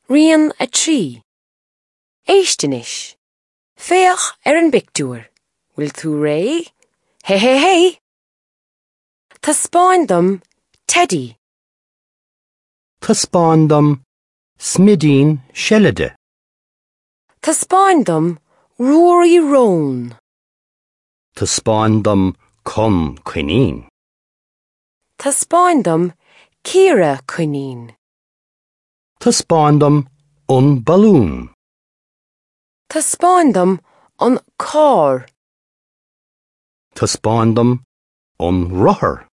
Rian 3. Éist anois. Féach ar an bpictiúr. Bhfuil tú réidh? Hé hé hé! Taispeáin dom teidí. Taispeáin dom smidín seilide. Taispeáin dom Ruairí Rón. Taispeáin dom Con coinín. Taispeáin dom Ciara coinín. Taispeáin dom an balún. Taispeáin dom an carr. Taispeáin dom an rothar.